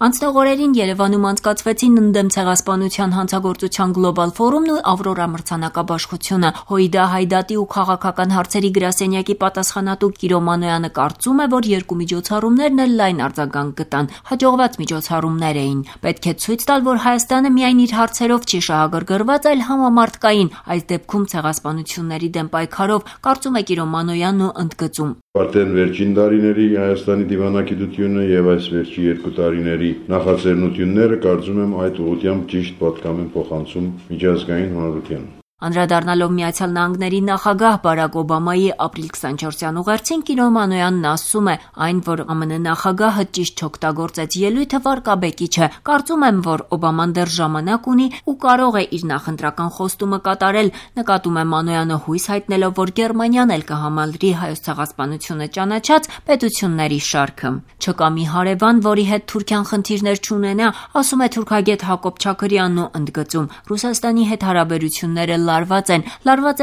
Անցնող օրերին Երևանում անցկացվեցին ընդդեմ ցեղասպանության հանցագործության գլոբալ ֆորումն ու Ավրորա մրցանակաբաշխությունը։ Հոիդա Հայդատի ու քաղաքական հարցերի գրասենյակի պատասխանատու Կիրո Մանոյանը կարծում է, որ երկու միջոցառումներն էլ լայն արձագանք գտան, հաջողված միջոցառումներ էին։ Պետք է ցույց տալ, որ Հայաստանը միայն իր հարցերով չի շահագրգռված, այլ համամարտկային, այս դեպքում ցեղասպանությունների դեմ պայքարով, կարծում է Կիրո Մանոյանն ու ընդգծում. Արդեն վերջին տարիների Հայաստանի դիվանագիտությունը եւ այս վերջի 2 տարիների նախաձեռնությունները կարծում եմ այդ ուղղությամբ ճիշտ պատկամ են փոխանցում միջազգային հանրությանը։ Անդրադառնալով Միացյալ Նահանգների նախագահ Բարակ Օբամայի ապրիլ 24-յան ուղերձին Կիրո Մանոյանն ասում է, այն, որ ԱՄՆ նախագահը ճիշտ չօգտագործեց ելույթը վարկաբեկի չէ։ Կարծում եմ, որ Օբաման դեռ ժամանակ ունի ու կարող է իր նախընտրական խոստումը կատարել, նկատում է Մանոյանը հույս հայտնելով, որ Գերմանիան էլ կհամալրի հայոց ցեղասպանությունը ճանաչած պետությունների շարքը։ Չկա մի հարևան, որի հետ Թուրքիան խնդիրներ չունենա, ասում է թուրքագետ Հակոբ Չաքրյանն ու ընդգծում. Ռուսաստանի հետ հարաբերությունները լարված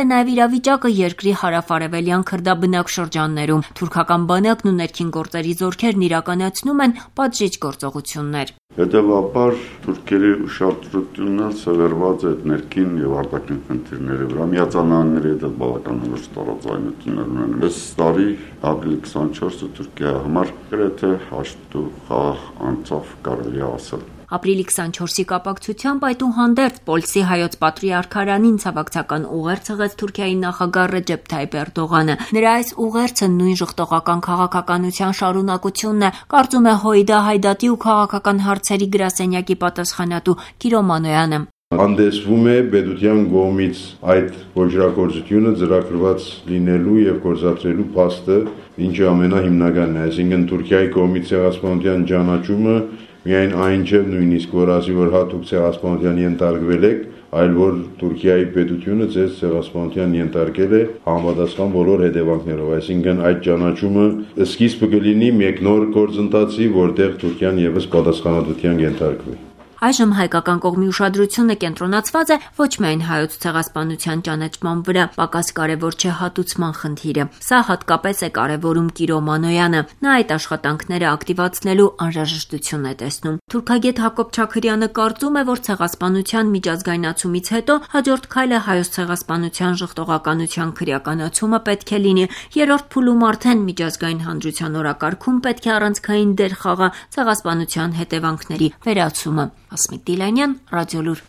է նաև իրավիճակը երկրի հարավ-արևելյան քրդաբնակ շրջաններում։ Թուրքական բանակն ու ներքին գործերի զորքերն իրականացնում են պատժիչ գործողություններ։ Հետևաբար թուրքերի ուշադրությունը սևեռված է ներքին եւ արտաքին խնդիրների վրա։ Միացյալ Նահանգների հետ բավականին լուրջ տարաձայնություններ ունեն։ Այս տարի ապրիլի 24-ը Թուրքիայի համար գրեթե հաշտ ու խաղ անցավ, կարելի է ասել։ Ապրիլի 24-ի կապակցությամբ այդուհանդերձ Պոլսի հայոց պատրիարքարանին ցավակցական ուղերձ հղեց Թուրքիայի նախագահ Ռեջեփ Թայիփ Էրդողանը։ Նրա այս ուղերձը նույն ժխտողական քաղաքականության շարունակությունն է, կարծում է Հոիդա Հայդատի ու քաղաքական հարցերի գրասենյակի պատասխանատու Կիրո Մանոյանը։ Հանդեսվում է պետության կողմից այդ ոչրագործությունը ծրագրված լինելու եւ գործադրելու փաստը, ինչը ամենահիմնականն է, այսինքն Թուրքիայի կողմից ցեղասպանության ճանաչումը միայն այն չէ նույնիսկ որ ասի որ հատուկ ցեղասպանության ենթարկվել եք, այլ որ Թուրքիայի պետությունը ձեզ ցեղասպանության ենթարկել է համապատասխան բոլոր հետևանքներով, այսինքն այդ ճանաչումը սկիզբը կլինի մեկ նոր գործընթացի, որտեղ Թուրքիան եւս պատասխանատվության ենթարկվի։ Այժմ հայկական կողմի ուշադրությունը կենտրոնացված է ոչ միայն հայոց ցեղասպանության ճանաչման վրա, պակաս կարևոր չէ հատուցման խնդիրը։ Սա հատկապես է կարևորում Կիրո Մանոյանը։ Նա այդ աշխատանքները ակտիվացնելու անհրաժեշտություն է տեսնում։ Թուրքագետ Հակոբ Չաքրյանը կարծում է, որ ցեղասպանության միջազգայնացումից հետո հաջորդ քայլը հայոց ցեղասպանության ժխտողականության քրեականացումը պետք է լինի։ Երրորդ փուլում արդեն միջազգային հանրության օրակարգում պետք է առանցքային դեր խաղա ցեղասպանության հետևանքների վերացումը։ Ասմիկ Դիլանյան, Ռադիոլուր։